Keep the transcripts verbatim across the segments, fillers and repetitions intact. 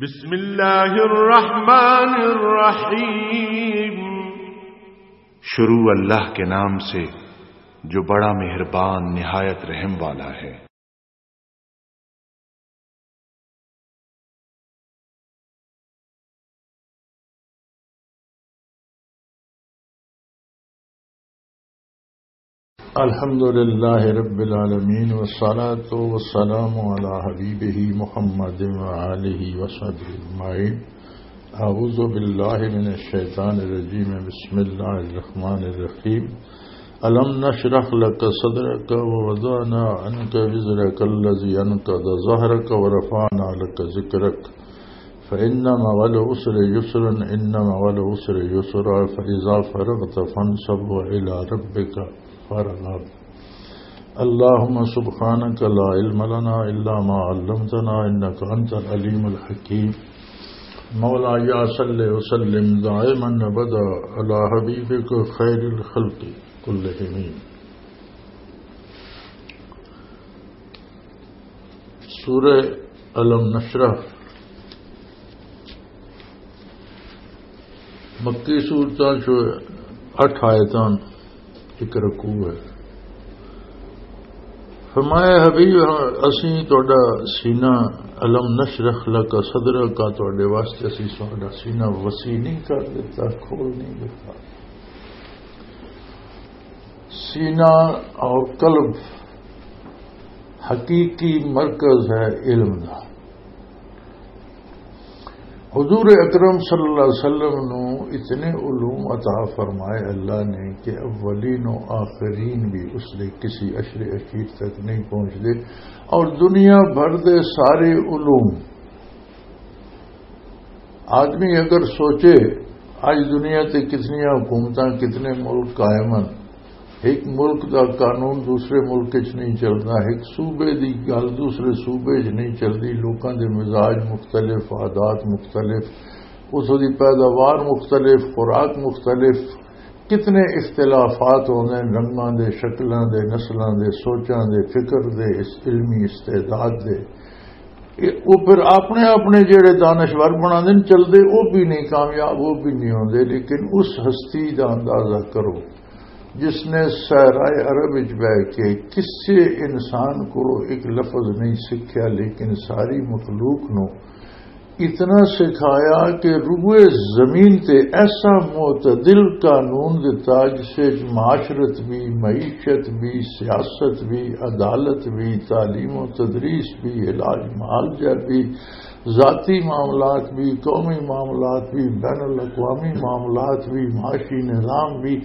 بسم اللہ الرحمن الرحیم۔ شروع اللہ کے نام سے، جو بڑا مہربان، نہایت رحم والا ہے۔ الحمد لله رب العالمين، والصلاة والسلام على حبيبه محمد وآله وصحبه أجمعين. أعوذ بالله من الشيطان الرجيم. بسم الله الرحمن الرحيم. ألم نشرح لك صدرك ووضعنا عنك وزرك الذي أنقض ظهرك ورفعنا لك ذكرك. فإن مع العسر يسرا، إن مع العسر يسرا، فإذا فرغت فانصب وإلى ربك فارغب. اللهم سبحانك لا علم لنا إلا ما علمتنا إنك أنت العليم الحكيم. مولاي صل وسلم دائما أبدا على حبيبك خير الخلق كلهم. سورہ الم نشرح مکی سورتاں چو اٹھ آیتاں، ایک رکوع ہے۔ فرمایا، حبیب، اسیں تہاڈا سینہ، الم نشرح لک صدرک، تہاڈے واسطے اسیں تہاڈا سینہ وسیع نہیں کر دیتا، کھول نہیں دیتا۔ سینہ اور قلب حقیقی مرکز ہے علم دا۔ حضور اکرم صلی اللہ علیہ وسلم نو اتنے علوم عطا فرمائے اللہ نے کہ اولین و آخرین بھی اس دے کسی عشر اخیر تک نہیں پہنچ دے، اور دنیا بھر دے سارے علوم، آدمی اگر سوچے، اج دنیا تے کتنی حکومتاں، کتنے ملک قائم ہیں، ایک ملک دا قانون دوسرے ملک وچ نہیں چلدا، ایک صوبے دی گل دوسرے صوبے وچ نہیں چلدی، لوکاں دے مزاج مختلف، عادات مختلف، اتھوں دی پیداوار مختلف، خوراک مختلف، کتنے اختلافات ہوندے ہیں رنگاں دے، شکلاں دے، نسلاں دے، سوچاں دے، فکر دے، اس علمی استعداد دے۔ اے، او پھر اپنے اپنے جڑے دانشور بنا دین چلدے، او بھی نہیں کامیاب، او بھی نہیں ہوندے۔ لیکن اس ہستی دا اندازہ کرو جس نے صحرائے عرب وچ بہ کے کسے انسان کو ایک لفظ نہیں سکھیا، لیکن ساری مخلوق نو اتنا سکھایا کہ روئے زمین تے ایسا معتدل قانون دتا جس وچ معاشرت بھی، معیشت بھی، سیاست بھی، عدالت بھی، تعلیم و تدریس بھی، علاج معالجہ بھی، ذاتی معاملات بھی، قومی معاملات بھی، بین الاقوامی معاملات بھی، معاشی نظام بھی،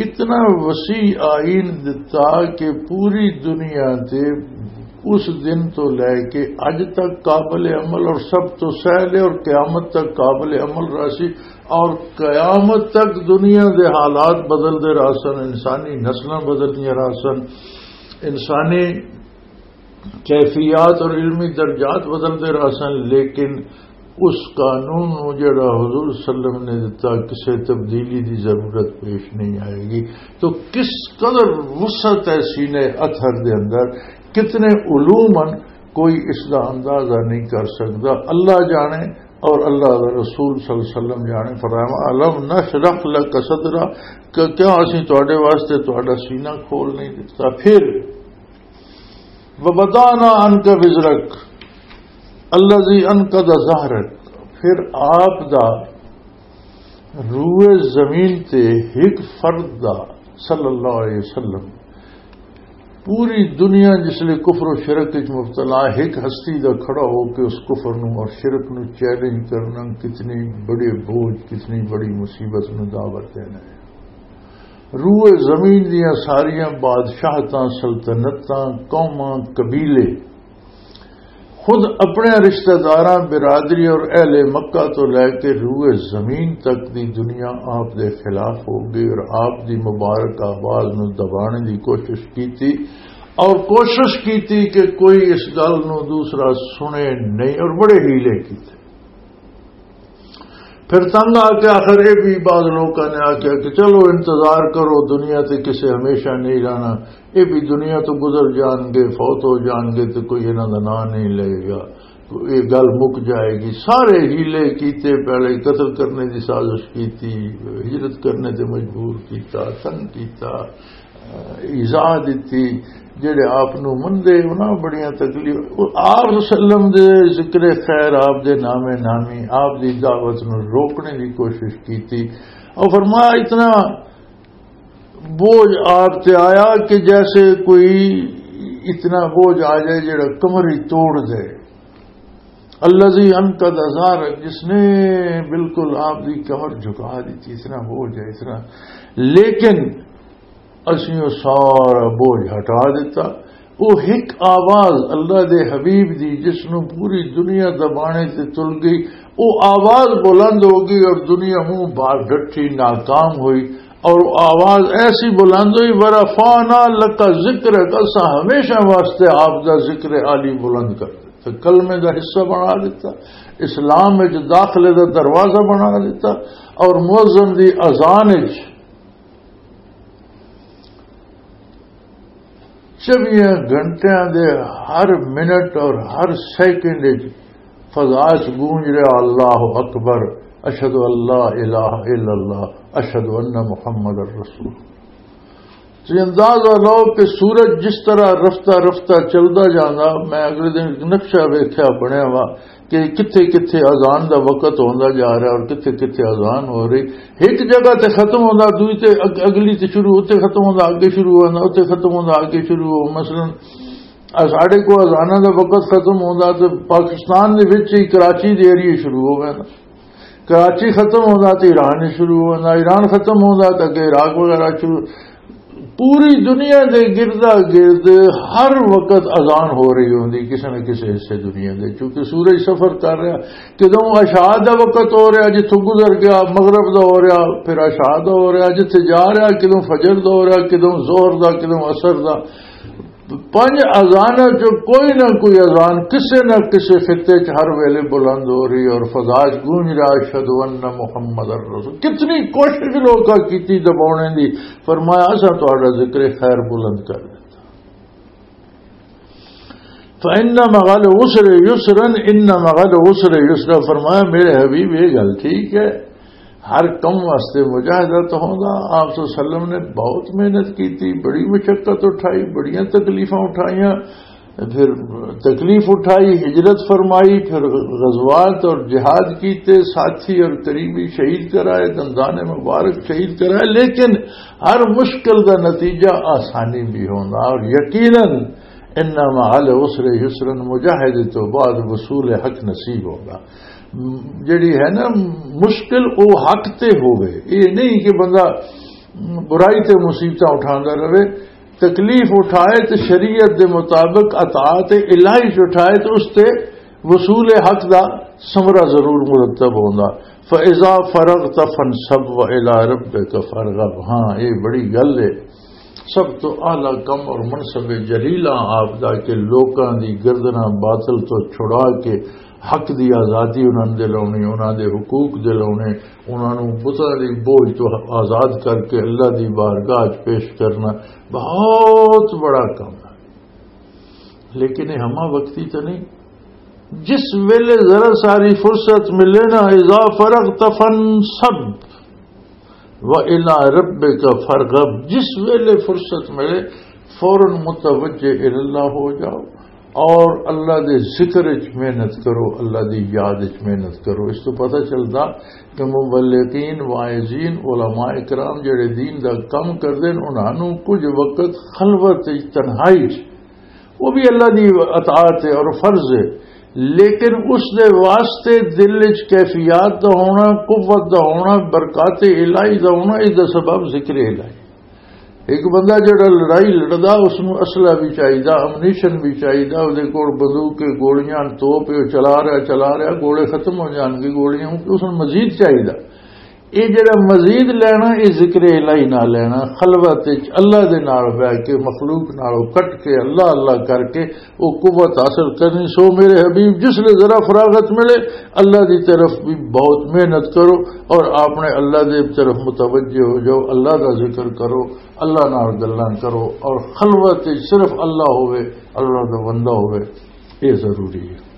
اتنا وسیع آئین دتا کہ پوری دنیا تے اس دن تو لے کے اج تک قابل عمل اور سب تو سہل ہے اور قیامت تک قابل عمل رہسی، اور قیامت تک دنیا دے حالات بدلدے رہسن، انسانی نسلاں بدلدیاں رہسن، انسانی کیفیات اور علمی درجات بدلدے رہسن، لیکن اس قانون نو جڑا حضور صلی اللہ علیہ وسلم نے دتا، کسے تبدیلی دی ضرورت پیش نہیں آئے گی۔ تو کس قدر وسعت ہے سینے اطہر دے اندر، کتنے علوم ہیں، کوئی اس دا اندازہ نہیں کر سکتا۔ اللہ جانے اور اللہ دا رسول صلی اللہ علیہ وسلم جانے۔ فرمایا، الم نشرح لک صدرک، کہ کیا اسی تواڈے واسطے تواڈا سینہ کھول نہیں دتا؟ پھر وَوَضَعْنَا عَنْكَ وِزْرَكَ الَّذِي أَنْقَضَ ظَهْرَكَ، پھر آپ دا روئے زمین تے ہک فرد دا، صلی اللہ علیہ وسلم، پوری دنیا جس لئے کفر و شرک وچ مبتلا ہے، ہک ہستی دا کھڑا ہو کے اس کفر نو اور شرک نو چیلنج کرنا کتنی بڑی بوجھ، کتنی بڑی مصیبت نو دعوت دینا ہے۔ روئے زمین دیاں ساریاں بادشاہتاں، سلطنتاں، قوماں، قبیلے، خود اپنے رشتہ داراں، برادری اور اہل مکہ تو لے کے روئے زمین تک دی دنیا آپ دے خلاف ہو گئی اور آپ دی مبارک آواز نو دبانے دی کوشش کیتی، اور کوشش کیتی کہ کوئی اس گل نو دوسرا سنے نہیں، اور بڑے حیلے کیتے۔ پھر تنگ آ کے آخر یہ بھی بعض لوگوں نے آخیا کہ چلو انتظار کرو، دنیا تے کسے ہمیشہ نہیں رہنا، یہ بھی دنیا تو گزر جان گے، فوت ہو جان گے، تو کوئی انہاں دا نام نہیں لے گا۔ یہ گل مک جائے گی۔ سارے ہیلے کیتے، پہلے قتل کرنے دی سازش کیتی، ہجرت کرنے تے مجبور کیتا، تنگ کیتا، ایذا دتی۔ جڑے آپ نو مندے انہاں بڑیاں تکلیف، آپ وسلم دے ذکر خیر، آپ دے نام نامی، آپ دی دعوت نو روکنے دی کوشش کیتی۔ اور فرمایا، اتنا بوجھ آپ تے آیا کہ جیسے کوئی اتنا بوجھ آ جائے جڑا کمر ہی توڑ دے۔ الذی انقض ظہرک، جس نے بالکل آپ دی کمر جھکا دی تھی، اتنا بوجھ ہے، اتنا۔ لیکن اسی وہ سارا بوجھ ہٹا دیتا۔ وہ ایک آواز اللہ دے حبیب دی، جس نو پوری دنیا دبانے تے تل گئی، وہ آواز بلند ہو گئی اور دنیا منہ بھار ڈٹھی، ناکام ہوئی۔ اور وہ آواز ایسی بلند ہوئی، "ورفعنا لک ذکرک"، اساں ہمیشہ واسطے آپ دا ذکر عالی بلند کر دتا۔ کلمے دا حصہ بنا دتا، اسلام وچ داخلے دا دروازہ بنا دتا، اور مؤذن دی اذان وچ چوبیاں گھنٹیاں دے ہر منٹ اور ہر سیکنڈ وچ فضا چ گونج رہا، "اللہ اکبر، اشہد ان لا الہ الا اللہ، اشہد ان محمد رسول۔" تسی اندازہ لو کہ سورج جس طرح رفتہ رفتہ چلدا جاندا، میں اگلے دن ایک نقشہ ویکھیا بنیا وا کہ کتھے کتھے اذان دا وقت ہوندا جا رہا اور کتھے کتھے اذان ہو رہی۔ ایک جگہ تے ختم ہوندا، دوئی تے اگ-، اگلی تے شروع، اتھے ختم ہوندا، اگے شروع ہوندا، اتھے ختم ہوندا، اگے شروع ہو۔ مثلاً، آ ساڈے کو اذاناں دا وقت ختم ہوندا تے پاکستان دے وچ ہی کراچی دے ایریے شروع ہو ویندا۔ کراچی ختم ہوندا تے ایران ہی شروع ہوندا، ایران ختم ہوندا تے اگے عراق وغیرہ شروع۔ پوری دنیا دے گردا گرد ہر وقت اذان ہو رہی ہوندی کسے نہ کسے حصے دنیا دے، کیونکہ سورج سفر کر رہا۔ کدوں عشاء دا وقت ہو رہا، جتھوں گزر گیا، مغرب دا ہو رہا، پھر عشاء دا ہو رہا، جتھے جا رہا، کدوں فجر دا ہو رہا، کدوں ظہر دا، کدوں عصر دا۔ پنج اذاناں چوں کوئی نہ کوئی اذان کسے نہ کسے خطے چ ہر ویلے بلند ہو رہی اور فضا چ گونج رہا، "اشہد ان محمد رسول۔" کتنی کوشش لوکاں کیتی دباونے دی، فرمایا، "اساں تہاڈا ذکر خیر بلند کر دتا۔" فَإِنَّ مَعَ الْعُسْرِ يُسْرًا، إِنَّ مَعَ الْعُسْرِ يُسْرًا۔ فرمایا، میرے حبیب، یہ گل ٹھیک ہے، ہر کم واسطے مجاہدہ تو ہوندا۔ آپ صلی اللہ علیہ وسلم نے بہت محنت کی تھی، بڑی مشقت اٹھائی، بڑیاں تکلیفاں اٹھائیاں، پھر تکلیف اٹھائی، ہجرت فرمائی، پھر غزوات اور جہاد کیتے، ساتھی اور قریبی شہید کرائے، دندان مبارک شہید کرائے، لیکن ہر مشکل دا نتیجہ آسانی بھی ہوندا۔ اور یقیناً انما العسر یسرا، مجاہدے تو بعد وصول حق نصیب ہوندا۔ م-، جڑی ہے نا مشکل، او حق تے ہووے۔ یہ نہیں کہ بندہ برائی تے مصیبتاں اٹھاندا رہے، تکلیف اٹھائے تے شریعت دے مطابق اطاعت الہی چ اٹھائے تے اس تے وصول حق دا ثمرہ ضرور مرتب ہوندا۔ فَإِذَا فَرَغْتَ فَانْصَبْ وَإِلَىٰ رَبِّكَ فَارْغَب۔ ہاں، یہ بڑی گل ہے۔ سب تو اعلیٰ کم اور منصب جلیلہ آپ دا کہ لوکاں دی گردناں باطل تو چھڑا کے حق دی آزادی انہاں نوں دلاونی، انہاں دے حقوق دلاونے، انہاں نوں بتاں دی بوجھ تو آزاد کر کے اللہ دی بارگاہ چ پیش کرنا بہت بڑا کم ہے۔ لیکن یہ ہمہ وقتی تو نہیں۔ جس ویلے ذرا ساری فرصت ملے نا، اذا فرغت فانصب و الی ربک فارغب، جس ویلے فرصت ملے، فوراً متوجہ الی اللہ ہو جاؤ اور اللہ دے ذکر وچ محنت کرو، اللہ دی یاد وچ محنت کرو۔ اس تو پتہ چلدا کہ مبلغین، واعظین، علماء کرام جڑے دین دا کم کردے نے، انہاں نوں کچھ وقت خلوت وچ، تنہائی وچ، وہ بھی اللہ دی اطاعت ہے اور فرض ہے، لیکن اس دے واسطے دل وچ کیفیات دا ہونا، قوت دا ہونا، برکات الہی دا ہونا، اس دا سبب ذکر الہی۔ ایک بندہ جڑا لڑائی لڑدا، اس نوں اسلحہ بھی چاہیدا، امنیشن بھی چاہیدا، اس دے کول بندوق کے گولیاں، توپ، وہ چلا رہا، چلا رہا، گولے ختم ہو جان گے، گولیاں، اس نوں مزید چاہیدا۔ یہ جڑا مزید لینا، یہ ذکر الہی نہ لینا، خلوت وچ اللہ دے نال بیٹھ کے، مخلوق نالوں کٹ کے، اللہ اللہ کر کے وہ قوت حاصل کرنی۔ سو میرے حبیب، جس لے ذرا فراغت ملے، اللہ دی طرف بھی بہت محنت کرو اور آپ نے اللہ دی طرف متوجہ ہو جاؤ، اللہ دا ذکر کرو، اللہ نال گلاں کرو اور خلوت وچ صرف اللہ ہوئے، اللہ دا بندہ ہوئے، یہ ضروری ہے۔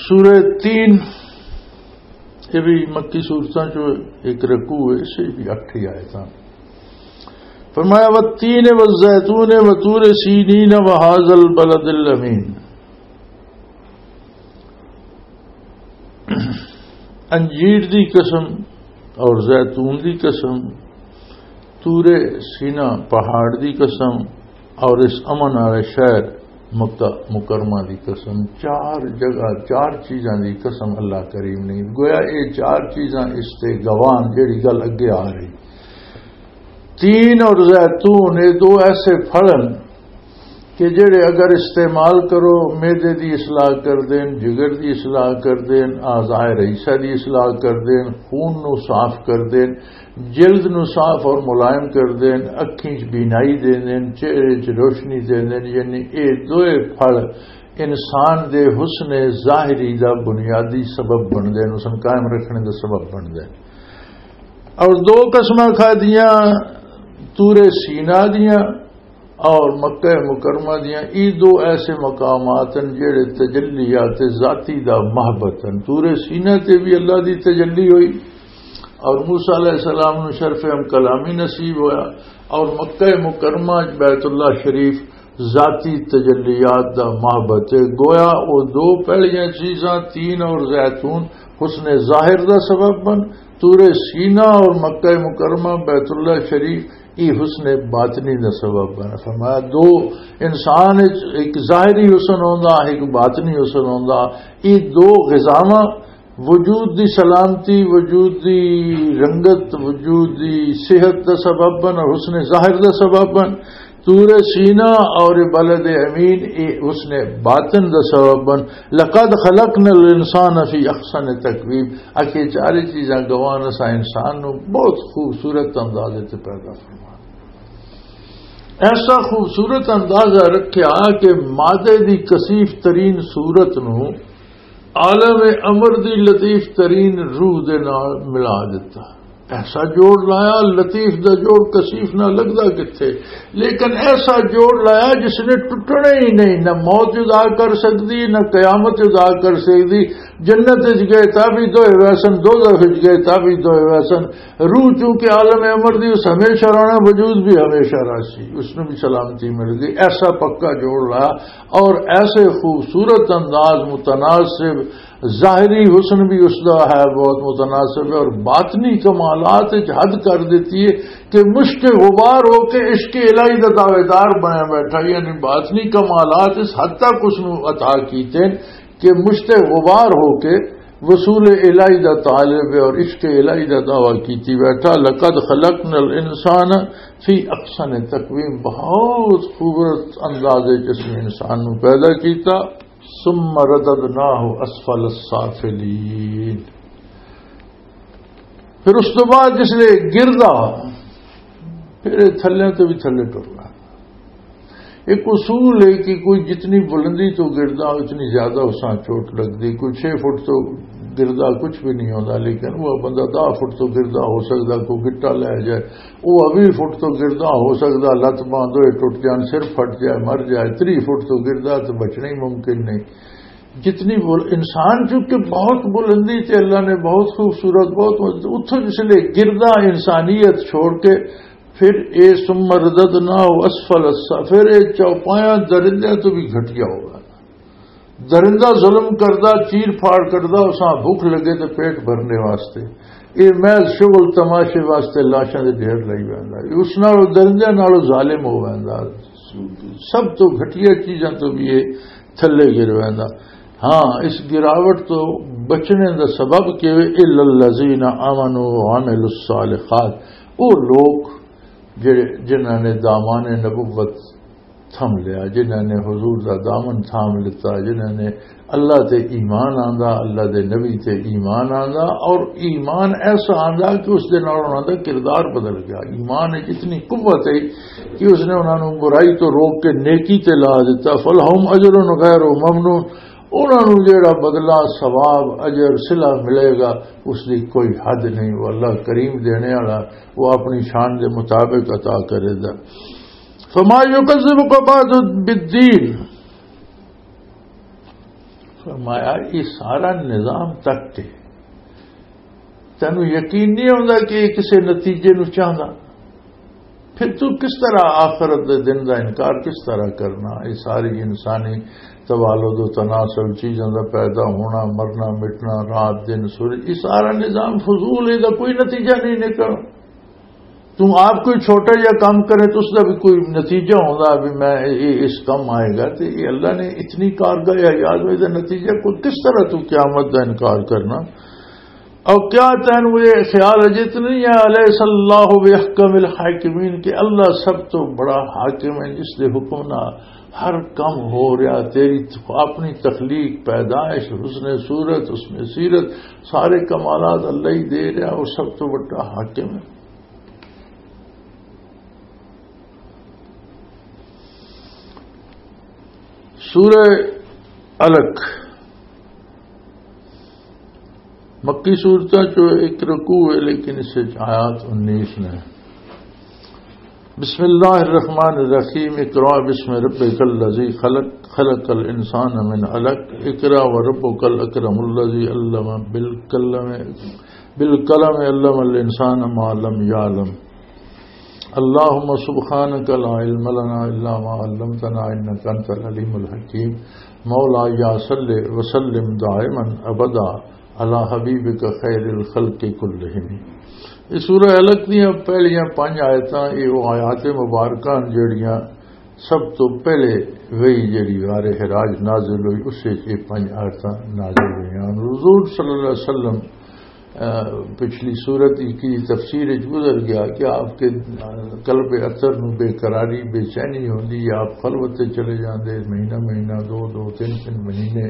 سورہ تین، یہ بھی مکی سورتاں چوں ایک رکوع ہے، اسے بھی اٹھ ہی آیتاں۔ فرمایا، "والتین والزیتون وطور سینین وهذا البلد الامین۔" انجیر دی قسم اور زیتون دی قسم، طور سینا پہاڑ دی قسم، اور اس امن والے شہر مکہ مکرمہ دی قسم۔ چار جگہ، چار چیزاں دی قسم اللہ کریم نے۔ گویا یہ چار چیزاں اس تے گواہ، جڑی گل اگے آ رہی۔ تین اور زیتون، یہ دو ایسے پھل ہیں کہ جڑے اگر استعمال کرو، معدے دی اصلاح کر دین، جگر دی اصلاح کر دین، اعضاء رئیسہ دی اصلاح کر دین، خون نو صاف کر دین، جلد نو صاف اور ملائم کر دین، اکھیں چ بینائی دین دین، چہرے چ روشنی دین دین۔ یعنی اے دوئے پھل انسان دے حسن ظاہری دا بنیادی سبب بن دین، حسن قائم رکھنے دا سبب بن دین۔ اور دو قسماں کھا دیاں، طور سینا دیاں اور مکہ مکرمہ دیاں۔ یہ دو ایسے مقامات ہیں جڑے تجلیات ذاتی دا محبت ہیں۔ طور سینا تے بھی اللہ دی تجلی ہوئی اور موسیٰ علیہ السلام نو شرف ہم کلامی نصیب ہویا، اور مکہ مکرمہ بیت اللہ شریف ذاتی تجلیات دا محبت ہے۔ گویا او دو پہلیاں چیزاں، تین اور زیتون، حسن ظاہر دا سبب بن، طور سینا اور مکہ مکرمہ بیت اللہ شریف، یہ حسن باطنی دا سبب بن۔ فرمایا، دو انسان وچ ایک ظاہری حسن ہوندا، ایک باطنی حسن ہوندا۔ یہ دو غذاواں وجود دی سلامتی، وجود دی رنگت، وجود دی صحت دا سبب بن اور حسن ظاہر دا سبب بن۔ طور سینا اور بلد امین، اے حسن باطن دا سبب بن۔ "لقد خلقنا الانسان فی احسن تقویم۔" اکھے چارے چیزاں گواہ نے، اساں انسان نو بہت خوبصورت انداز تے پیدا فرمایا۔ ایسا خوبصورت اندازہ رکھیا کہ مادے دی کثیف ترین صورت نو عالم امر دی لطیف ترین روح دے نال ملا دیتا۔ ایسا جوڑ لایا، لطیف دا جوڑ کثیف نہ لگدا کتھے، لیکن ایسا جوڑ لایا جس نے ٹوٹنا ہی نہیں، نہ موت جدا کر سکدی، نہ قیامت جدا کر سکدی۔ جنت وچ گئے تاں بھی دوئے ویسن، دوزخ وچ گئے تاں بھی دوئے ویسن۔ روح چونکہ عالم امر دی، اس ہمیشہ رہنا، وجود بھی ہمیشہ رہسی، اس نوں بھی سلامتی مل گئی۔ ایسا پکا جوڑ لایا اور ایسے خوبصورت انداز، متناسب، ظاہری حسن بھی اس دا ہے، بہت متناسب ہے، اور باطنی کمالات وچ حد کر دیتی ہے کہ مشت غبار ہو کے عشق الہی دا دعویدار بنیا بیٹھا۔ یعنی باطنی کمالات اس حد تک اس نوں عطا کیتے کہ مشت غبار ہو کے وصول الہی دا طالب ہے اور عشق الہی دا دعویٰ کیتی بیٹھا۔ "لقد خلقنا الانسان فی احسن تقویم۔" بہت خوبصورت انداز وچ اس نے انسان نو پیدا کیتا۔ "ثم رددناہ اسفل السافلین۔" پھر اس تو بعد جس لے گردا، پھر یہ تھلے تو بھی تھلے ٹرنا۔ ایک اصول ہے کہ کوئی جتنی بلندی تو گردا، اتنی زیادہ اساں چوٹ لگدی۔ کوئی چھ فٹ تو گردا کچھ بھی نہیں ہوندا، لیکن وہ بندہ دہ فٹ تو گردا ہو سکدا، کوئی گٹا لے جائے، وہ ویہہ فٹ تو گردا ہو سکدا، لت باں دوئے ٹوٹ جان، سر پھٹ جائے، مر جائے۔ تری فٹ تو گردا تو بچنا ہی ممکن نہیں۔ جتنی بول-، انسان چونکہ بہت بلندی تے اللہ نے بہت خوبصورت، بہت، اتھوں جس لے گردا انسانیت چھوڑ کے، پھر اے ثم رددناہ اسفل السا-، پھر اے چوپایاں درندیاں تو بھی گھٹیا ہو ویندا۔ درندہ ظلم کردا، چیر پھاڑ کردا، اساں بھوک لگے تے پیٹ بھرنے واسطے۔ اے محض شغل تماشے واسطے لاشاں دے ڈھیر لائی ویندا۔ اے اس نال، درندیاں نالوں ظالم ہو ویندا۔ سب تو گھٹیا چیزاں تو بھی اے تھلے گر ویندا۔ ہاں، اس گراوٹ تو بچنے دا سبب کہ وے، "الا الذین آمنوا وعملوا الصالحات"، وہ لوگ جڑے، جنہاں نے دامان نبوت تھم لیا، جنہاں نے حضور دا دامن تھام لتا، جنہاں نے اللہ تے ایمان آندا، اللہ دے نبی تے ایمان آندا، اور ایمان ایسا آندا کہ اس دے نال انہاں دا کردار بدل گیا۔ ایمان وچ اتنی قوت ہے کہ اس نے انہاں نوں برائی تو روک کے نیکی تے لا دتا۔ "فلہم اجر غیر ممنون"، انہاں نوں جیڑا بدلہ، ثواب، اجر، صلہ ملے گا، اس دی کوئی حد نہیں۔ وہ اللہ کریم دینے والا، وہ اپنی شان دے مطابق عطا کرے دا۔ "فما یکذبک بعد بالدین"، فرمایا، یہ سارا نظام تک کے تینوں یقین نہیں آتا کہ یہ کسی نتیجے نو چاہتا، پھر تو کس طرح آخرت دے دن دا انکار کس طرح کرنا؟ یہ ساری انسانی توالد و تناسل، چیزاں دا پیدا ہونا، مرنا، مٹنا، رات، دن، سورج، یہ سارا نظام فضول ہے، دا کوئی نتیجہ نہیں نکلنا۔ تم آپ کوئی چھوٹا جہا کام کرے تو اس دا بھی کوئی نتیجہ ہوندا، بھی میں یہ، اس کم آئے گا۔ تو یہ اللہ نے اتنی کارگاہ حیات میں، دا نتیجہ کوئی کس طرح تو قیامت دا انکار کرنا؟ اور کیا تین مجھے خیال ہے جتنی ہے، الیس اللہ باحکم الحاکمین، کہ اللہ سب تو بڑا حاکم ہے جس دے حکم نہ ہر کم ہو رہا، تیری اپنی تخلیق، پیدائش، حسن صورت، حسن سیرت، سارے کمالات اللہ ہی دے رہا، وہ سب تو بڑا حاکم ہے۔ سورہ علق، مکی سورتاں چو ایک رکوع ہے، لیکن اس وچ آیات انیس نے۔ بسم اللہ الرحمن الرحیم، اقرا بسم ربک الذی خلق، خلق الانسان من علق، اقرا وربک الاکرم الذی علم بالقلم، بالقلم علم الانسان ما لم یعلم۔ اللهم سبحانك لا علم لنا إلا ما علمتنا إنك أنت العليم الحكيم۔ مولاي صل وسلم دائما أبدا على حبيبك خير الخلق كلهم۔ اس سورہ علق دیاں پہلیاں پنج آیتاں، یہ وہ آیات مبارکہ ہن جڑیاں سب تو پہلے وہی جڑی غار حراج نازل ہوئی، اس وچ یہ پنج آیتاں نازل ہوئیاں۔ حضور صلی اللہ علیہ وسلم، آ، پچھلی سورت کی تفسیر وچ گزر گیا کہ آپ کے، آ، قلب اطہر نو بے قراری، بے چینی ہوندی، آپ خلوت تے چلے جاندے، مہینہ مہینہ، دو دو، تین تین مہینے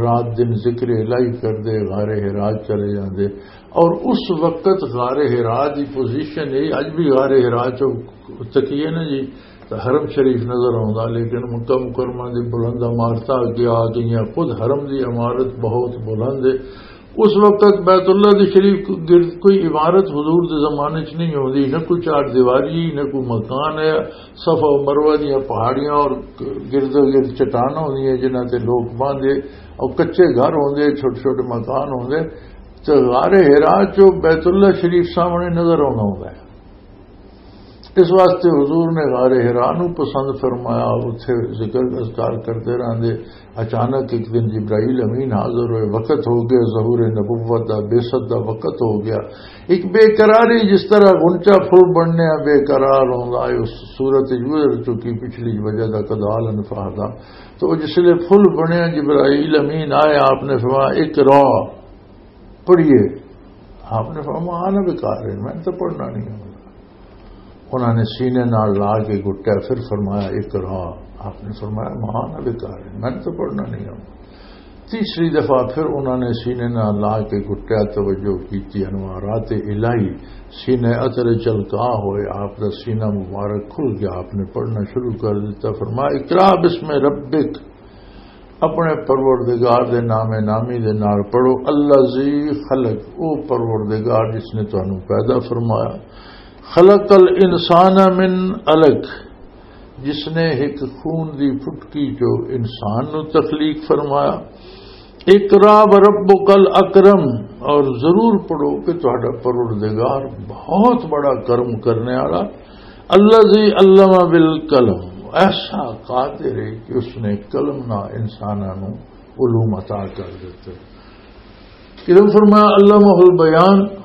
رات دن ذکر الہی کردے، غار حراج چلے جاندے۔ اور اس وقت غار حراج دی پوزیشن ہے، اج بھی غار حراج چو تکیے نا جی، تو حرم شریف نظر آوندا، لیکن مکہ مکرمہ دی بلند عمارتاں اگے آ گئیاں۔ خود حرم دی عمارت بہت بلند ہے۔ اس وقت بیت اللہ دی شریف گرد کوئی عمارت حضور دے زمانے چ نہیں ہوندی، نہ کوئی چار دیواری، نہ کوئی مکان ہے۔ صفا و مروہ دیاں پہاڑیاں اور گرد و گرد چٹاناں ہوندیاں جنہاں تے لوگ باندھے، اور کچے گھر ہوندے، چھوٹے چھوٹے مکان ہوندے۔ تے غار حرا چو بیت اللہ شریف سامنے نظر آنا ہوندا ہے۔ اس واسطے حضور نے غار حرا نو پسند فرمایا اور اتھے ذکر اذکار کرتے رہندے۔ اچانک ایک دن جبرائیل امین حاضر ہوئے، وقت ہو گیا ظہور نبوت دا، بعثت دا وقت ہو گیا۔ ایک بے قراری، جس طرح غنچہ پھول بننے آ بے قرار ہوندا ہے، اس صورت وچ گزر چکی پچھلی وجہ دا کدال انفاہ دا۔ تو وہ جس لے پھول بنیا، جبرائیل امین آئے، آپ نے فرمایا، "اقرا، پڑھیے۔" آپ نے فرمایا، "انا بقارئ، میں تو پڑھنا نہیں ہوں۔" انہوں نے سینے نال لا کے گھٹیا، پھر فرمایا، "اقرا۔" آپ نے فرمایا، "ما انا بقارئ، میں تو پڑھنا نہیں ہوں۔" تیسری دفعہ پھر انہوں نے سینے نال لا کے گھٹیا، توجہ کیتی، انوارات الہی سینے اثر چلکا ہوئے، آپ دا سینہ مبارک کھل گیا، آپ نے پڑھنا شروع کر دیتا۔ فرمایا، "اقرا باسم ربک۔" اپنے پروردگار دے نام نامی دے نال پڑھو۔ الذی خلق، او پروردگار جس نے تانوں پیدا فرمایا۔ خلق الانسان من علق، جس نے ایک خون دی پھٹکی چو انسان نو تخلیق فرمایا۔ اقرا وربک الاکرم، اور ضرور پڑھو کہ تہاڈا پروردگار بہت بڑا کرم کرنے والا۔ الذی علم بالقلم، ایسا قادر ہے کہ اس نے قلم نہ انساناں نو علوم عطا کر دیتے۔ علم فرمایا علمہ البیان،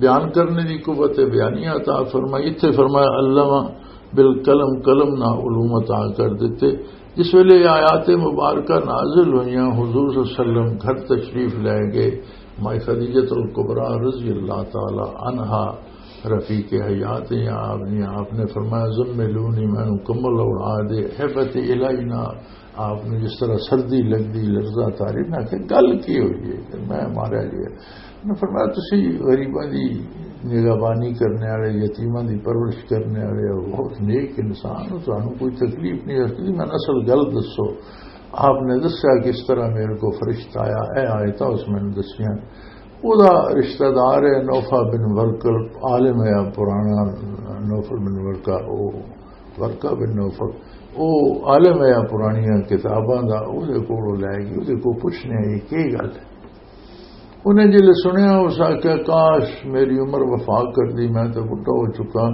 بیان کرنے دی قوت بیانی عطا فرمائی۔ اتھے فرمایا علمہ بالقلم، قلم نہ علوم عطا کر دیتے۔ جس ویلے یہ آیات مبارکہ نازل ہوئیاں، حضور صلی اللہ علیہ وسلم گھر تشریف لے گئے، مائی خدیجۃ الکبریٰ رضی اللہ تعالی عنہا رفیق حیات ہیں آپ نے، آپ نے فرمایا، "زملونی"، میں نوں کمبل اوڑھا دے، "ہبت الینا"، آپ نے جس طرح سردی لگدی، لرزا تاری، میں کہ گل کی ہوئی ہے کہ میں ماریا گیا؟ انہوں نے فرمایا، "تسی غریباں دی نگہبانی کرنے والے، یتیماں دی پرورش کرنے والے ہو، بہت نیک انسان ہو، تانوں کوئی تکلیف نہیں ہو سکدی، میں نسل گل دسو۔" آپ نے دسیا کس طرح میرے کو فرشتہ آیا، اے آیتاں اس میں نے دسیاں۔ اوہدا رشتہ دار ہے نوفل بن ورقہ، عالم ہے پرانا، نوفل بن ورقہ، او ورقہ بن نوفل، او عالم ہے پرانیاں کتاباں دا، او دے کول او لے گئی، او دے کول پوچھنے آئی، "کی گل ہے؟" انہیں جلے سنیا، اس آکھیا، "کاش میری عمر وفا کر دی، میں تے بڈھا ہو چکا،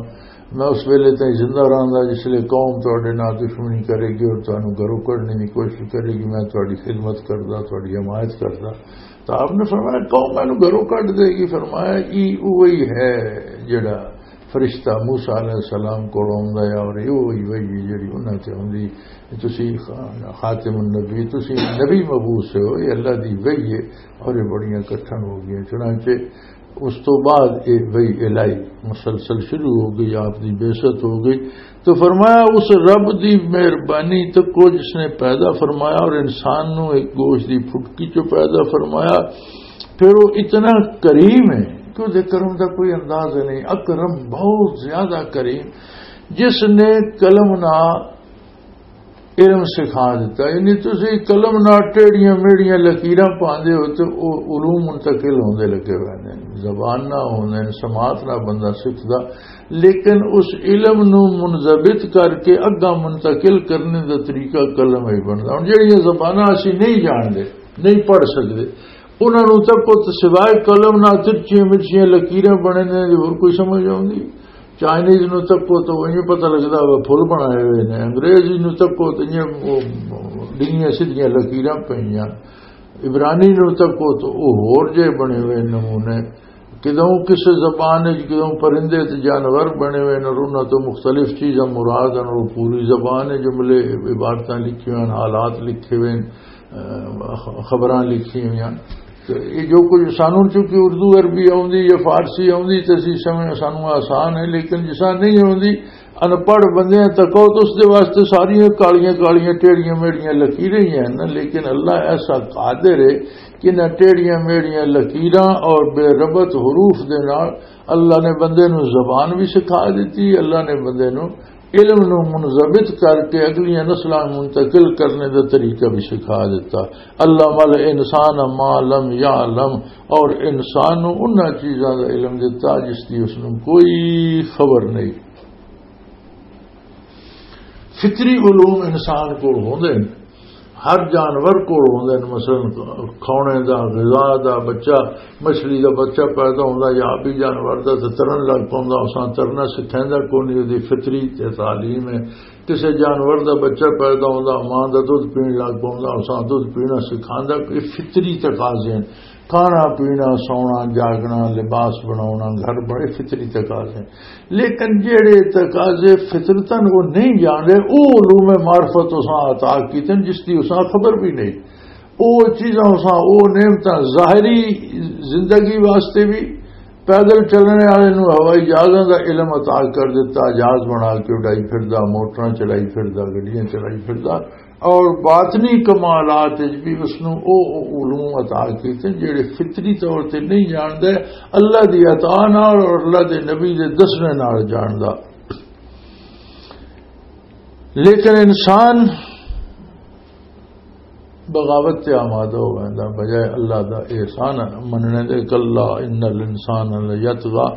میں اس ویلے تائیں زندہ رہندا جس لے قوم تہاڈے نال دشمنی کرے گی اور تانوں گھروں کڈنے دی کوشش کرے گی، میں تہاڈی خدمت کردا، تہاڈی حمایت کردا۔" تو آپ نے فرمایا، "قوم مینوں گھروں کڈ دے گی؟" فرمایا، "ای اوہی ہے جڑا فرشتہ موسیٰ علیہ السلام کول آوندا ہے اور یہ وہی وحی ہے جڑی انہاں تے آوندی۔ تسی خاتم النبی، تسی نبی مبعوث ہو، یہ اللہ دی وحی ہے اور یہ بڑیاں کٹھن ہو گئیاں۔" چنانچہ اس تو بعد یہ وحی الہی مسلسل شروع ہو گئی، آپ دی بعثت ہو گئی۔ تو فرمایا، اس رب دی مہربانی تکو جس نے پیدا فرمایا اور انسان نو ایک گوشت دی پھٹکی چوں پیدا فرمایا، پھر وہ اتنا کریم ہے کہ اس دے کرم دا کوئی اندازہ نہیں۔ اکرم، بہت زیادہ کریم، جس نے قلم نہ علم سکھا دیتا۔ یعنی تسی قلم نال ٹیڑیاں میڑیاں لکیراں پاندے ہو تے او علوم منتقل ہوندے لگے ہوئے نے، زبان نہ ہوندے نے، سماعت نہ بندہ سکھدا، لیکن اس علم نو منضبط کر کے اگاں منتقل کرنے دا طریقہ قلم ہی بندا۔ ہن جڑیاں زباناں اسی نہیں جاندے، نہیں پڑھ سکدے، انہاں نوں تکو تے سوائے قلم نال ترچیاں مرچیاں لکیراں بنے نے، ہور کوئی سمجھ آوندی؟ چائنیز نوں تکو تے انہی پتہ لگدا وہ پھل بنائے ہوئے نے، انگریزی نوں تکو تے انہی وہ ڈگیاں سدھیاں لکیراں پئیاں، عبرانی نوں تکو تے وہ ہور جے بنے ہوئے نمونے۔ کدوں کسے زبان وچ کدوں پرندے تے جانور بنے ہوئے نے، انہاں تو مختلف چیزاں مراد ہیں، اور پوری زبان ہے، جملے، عبارتاں لکھی ہوئے ہیں، حالات لکھے ہوئے ہیں، اہ، خبراں لکھی ہوئی ہیں۔ تے یہ جو کچھ سانوں چونکہ اردو عربی آوندی یا فارسی آوندی تے اسی سمجھ سانوں آسان ہے، لیکن جساں نہیں آوندی، ان پڑھ بندیاں تکو تو اس دے واسطے ساریاں کالیاں کالیاں ٹیڑیاں میڑیاں لکیراں ہی ہیں نا۔ لیکن اللہ ایسا قادر ہے کہ نہ ٹیڑیاں میڑیاں لکیراں اور بے ربط حروف دے نال اللہ نے بندے نو زبان بھی سکھا دیتی، اللہ نے بندے نو علم نو منضبط کر کے اگلیاں نسلاں نوں منتقل کرنے دا طریقہ بھی سکھا دیتا۔ اللہ مل انسان ما لم یعلم، اور انسان نو انہاں چیزاں دا علم دیتا جس دی اس نو کوئی خبر نہیں۔ فطری علوم انسان کول ہوندے نے، ہر جانور کول ہوندے نے۔ مثلاً کھونے دا، غذا دا، بچہ، مچھلی دا بچہ پیدا ہوندا یا بھی جانور دا تے ترن لگ پوندا، اساں ترنا سکھیندا کونی، اودی فطری تے تعلیم ہے۔ کسے جانور دا بچہ پیدا ہوندا، ماں دا دودھ پین لگ پوندا، اساں دودھ پینا سکھاندا، یہ فطری تقاضے ہیں۔ کھانا پینا، سونا جاگنا، لباس بناونا، گھر بڑے فطری تقاضے ہیں۔ لیکن جہڑے تقاضے فطرتاً وہ نہیں جاندے، وہ علوم معرفت اساں عطا کیتے ہیں جس کی اساں خبر بھی نہیں۔ وہ چیزاں اساں، وہ نعمتاں ظاہری زندگی واسطے بھی، پیدل چلنے والے نوں ہوائی جہازاں دا علم عطا کر دیتا، جہاز بنا کے اڈائی پھردا، موٹراں چلائی پھردا، گڈیاں چلائی پھردا، اور باطنی کمالات وچ بھی اس نوں او، او علوم عطا کیتے جڑے فطری طور تے نہیں جاندا، اللہ دی عطا نال اور اللہ دے نبی دے دسنے نال جاندا۔ لیکن انسان بغاوت تے آمادہ ہو ویندا، بجائے اللہ دا احسان مننے دے۔ کلا ان الانسان لیطغی،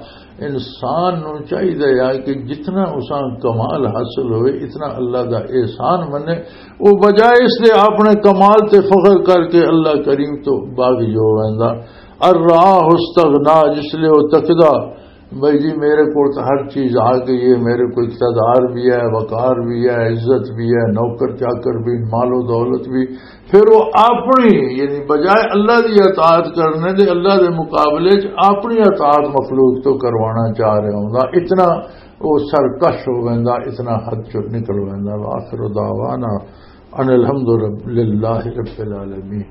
انسان نو چاہیے ہے کہ جتنا اساں کمال حاصل ہوئے، اتنا اللہ دا احسان منے۔ وہ بجائے اس دے اپنے کمال تے فخر کر کے اللہ کریم تو باغی ہو ویندا۔ الراہ استغنا، جس لے وہ تکدا بھائی جی، میرے کول تو ہر چیز آ گئی ہے، میرے کو اقتدار بھی ہے، وقار بھی ہے، عزت بھی ہے، نوکر چاکر بھی، مال و دولت بھی۔ پھر وہ اپنی، یعنی بجائے اللہ دی اطاعت کرنے دے، اللہ دے مقابلے چ اپنی اطاعت مخلوق تو کروانا چاہ رہا ہوں، اتنا وہ سرکش ہو ویندا، اتنا حد چ نکل ویندا۔ وآخر دعوانا ان الحمد للہ رب العالمین۔